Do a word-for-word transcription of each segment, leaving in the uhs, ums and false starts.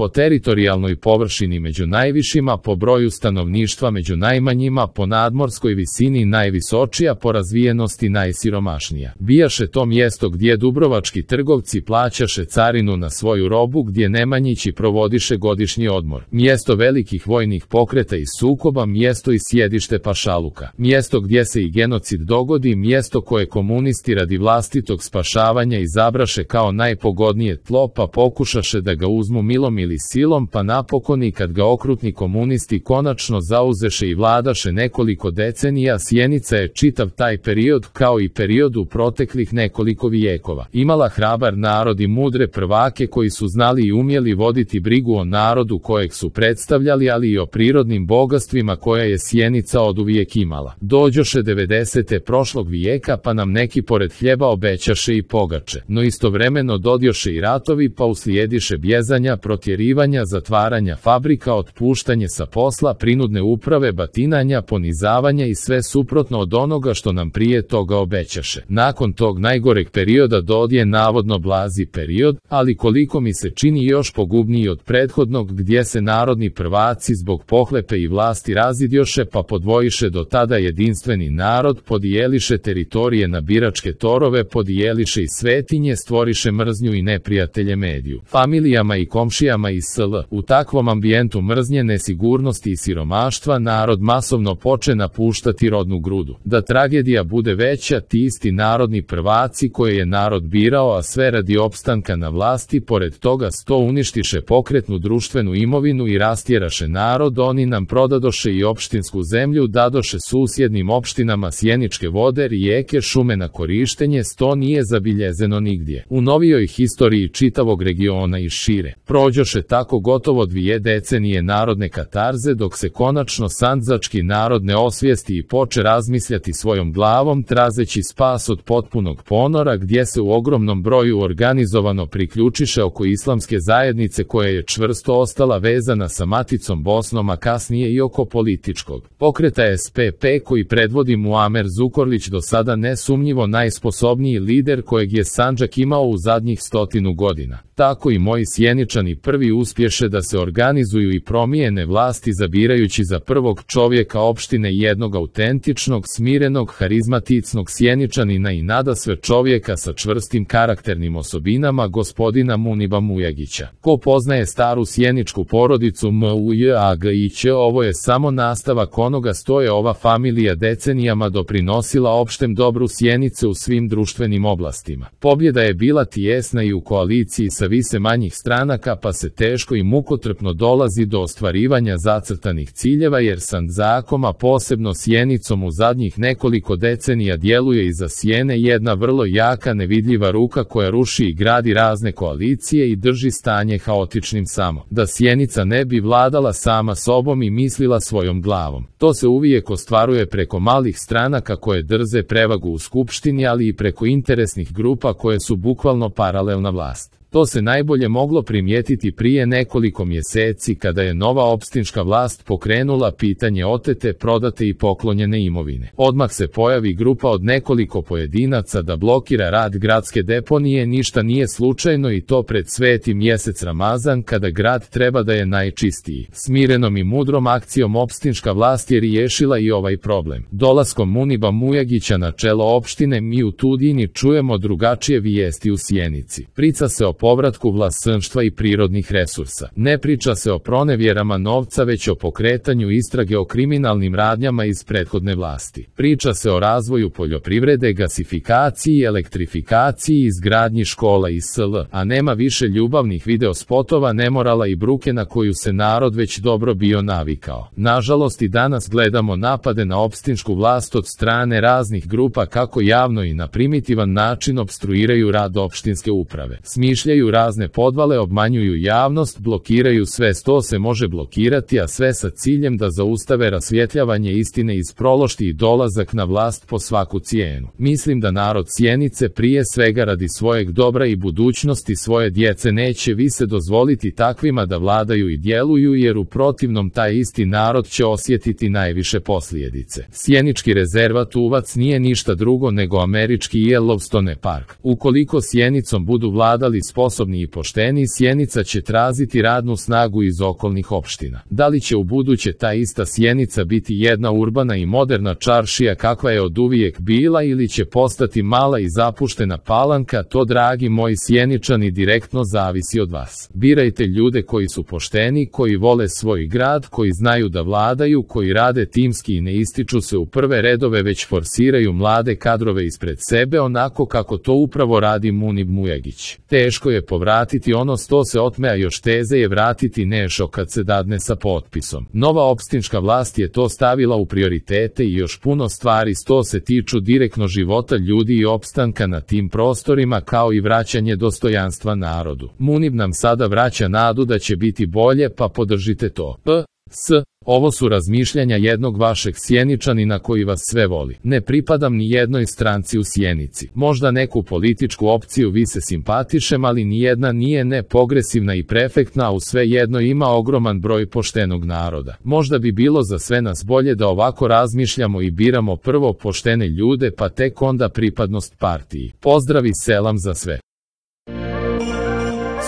po teritorijalnoj površini među najvišima, po broju stanovništva među najmanjima, po nadmorskoj visini najvisočija, po razvijenosti najsiromašnija. Bijaše to mjesto gdje dubrovački trgovci plaćaše carinu na svoju robu, gdje Nemanjići provodiše godišnji odmor. Mjesto velikih vojnih pokreta i sukoba, mjesto i sjedište pašaluka. Mjesto gdje se i genocid dogodi, mjesto koje komunisti radi vlastitog spašavanja izabraše kao najpogodnije tlo, pa pokušaše da ga uzmu milom ili silom, pa napokon i kad ga okrutni komunisti konačno zauzeše i vladaše nekoliko decenija, Sjenica je čitav taj period, kao i period u proteklih nekoliko vijekova, imala hrabar narod i mudre prvake koji su znali i umjeli voditi brigu o narodu kojeg su predstavljali, ali i o prirodnim bogatstvima koja je Sjenica oduvijek imala. Dođoše devedesete prošlog vijeka, pa nam neki pored hljeba obećaše i pogače, no istovremeno dodjoše i ratovi, pa uslijediše bjezanja, protjerivanja, zatvaranja fabrika, otpuštanje sa posla, prinudne uprave, batinanja, ponizavanja i sve suprotno od onoga što nam prije toga obećaše. Nakon tog najgoreg perioda dodje navodno blazi period, ali koliko mi se čini još pogubniji od prethodnog, gdje se narodni prvaci zbog pohlepe i vlasti razidjoše, pa podvojiše do tada jedinstveni narod, podijeliše teritorije na biračke torove, podijeliše i svetinje, stvoriše mržnju i neprijatelje mediju, familijama i komšijama i sl. U takvom ambijentu mržnje, nesigurnosti i siromaštva narod masovno poče napuštati rodnu grudu. Da tragedija bude veća, ti isti narodni prvaci koje je narod birao, a sve radi opstanka na vlasti, pored toga sto uništiše pokretnu društvenu imovinu i rastjeraše narod, oni nam prodadoše i opštinsku zemlju, dadoše susjednim opštinama sjeničke vode, rijeke, šume na korištenje, sto nije zabiljezeno nigdje u novijoj historiji čitavog regiona i šire. Prođoše tako gotovo dvije decenije narodne katarze, dok se konačno sandžački narod ne osvijesti i poče razmišljati svojom glavom, trazeći spas od potpunog ponora, gdje se u ogromnom broju organizovano priključiše oko islamske zajednice koja je čvrsto ostala vezana sa maticom Bosnom, a kasnije i oko političkog pokreta S P P koji predvodi Muamer Zukorlić, do sada nesumnjivo najsposobniji lider kojeg je Sandžak imao u zadnjih stotinu godina. Tako i moji Sjeničani prvi uspješe da se organizuju i promijene vlasti, zabirajući za prvog čovjeka opštine jednog autentičnog, smirenog, harizmaticnog Sjeničanina i nadasve čovjeka sa čvrstim karakternim osobinama, gospodina Muniba Mujagića. Ko poznaje staru sjeničku porodicu Mujagić, ovo je samo nastavak onoga što je ova familija decenijama doprinosila opštem dobru Sjenice u svim društvenim oblastima. Pobjeda je bila tijesna i u koaliciji sa više manjih stranaka, pa se teško i mukotrpno dolazi do ostvarivanja zacrtanih ciljeva, jer Sandžakom, a posebno Sjenicom u zadnjih nekoliko decenija djeluje iza sjene jedna vrlo jaka nevidljiva ruka koja ruši i gradi razne koalicije i drži stanje haotičnim samo da Sjenica ne bi vladala sama sobom i mislila svojom glavom. To se uvijek ostvaruje preko malih stranaka koje drze prevagu u skupštini, ali i preko interesnih grupa koje su bukvalno paralelna vlast. To se najbolje moglo primijetiti prije nekoliko mjeseci kada je nova opštinska vlast pokrenula pitanje otete, prodate i poklonjene imovine. Odmah se pojavi grupa od nekoliko pojedinaca da blokira rad gradske deponije, ništa nije slučajno i to pred sveti mjesec Ramazan kada grad treba da je najčistiji. Smirenom i mudrom akcijom opštinska vlast je riješila i ovaj problem. Dolaskom Muniba Mujagića na čelo opštine mi u Tudini čujemo drugačije vijesti u Sjenici. Priča se o povratku vlasništva i prirodnih resursa. Ne priča se o pronevjerama novca, već o pokretanju istrage o kriminalnim radnjama iz prethodne vlasti. Priča se o razvoju poljoprivrede, gasifikaciji, elektrifikaciji, izgradnji škola i sl. A nema više ljubavnih videospotova, nemorala i bruke na koju se narod već dobro bio navikao. Nažalost i danas gledamo napade na opštinsku vlast od strane raznih grupa kako javno i na primitivan način opstruiraju rad opštinske uprave. Smišljaju razne podvale, obmanjuju javnost, blokiraju sve što se može blokirati, a sve sa ciljem da zaustave rasvjetljavanje istine iz prošlosti i dolazak na vlast po svaku cijenu. Mislim da narod Sjenice prije svega radi svojeg dobra i budućnosti svoje djece neće više dozvoliti takvima da vladaju i djeluju, jer u protivnom taj isti narod će osjetiti najviše posljedice. Sjenički rezervat Uvac nije ništa drugo nego američki Yellowstone park. Ukoliko Sjenicom budu vladali sposobni i pošteni, Sjenica će tražiti radnu snagu iz okolnih opština. Da li će u buduće ta ista Sjenica biti jedna urbana i moderna čaršija kakva je oduvijek bila ili će postati mala i zapuštena palanka, to, dragi moji Sjeničani, direktno zavisi od vas. Birajte ljude koji su pošteni, koji vole svoj grad, koji znaju da vladaju, koji rade timski i ne ističu se u prve redove, već forsiraju mlade kadrove ispred sebe, onako kako to upravo radi Munib Mujagić. Teško je povratiti ono sto se otme, a još teze je vratiti nešto kad se dadne sa potpisom. Nova opštinska vlast je to stavila u prioritete i još puno stvari sto se tiču direktno života ljudi i opstanka na tim prostorima, kao i vraćanje dostojanstva narodu. Munib nam sada vraća nadu da će biti bolje, pa podržite to. P. S. Ovo su razmišljanja jednog vašeg Sjeničanina koji vas sve voli. Ne pripadam ni jednoj stranci u Sjenici. Možda neku političku opciju vi se simpatišem, ali nijedna nije ne progresivna i prefektna, a u sve jedno ima ogroman broj poštenog naroda. Možda bi bilo za sve nas bolje da ovako razmišljamo i biramo prvo poštene ljude, pa tek onda pripadnost partiji. Pozdravi, selam za sve.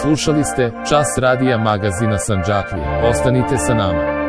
Slušali ste Čas radija magazina Sandžaklije. Ostanite sa nama.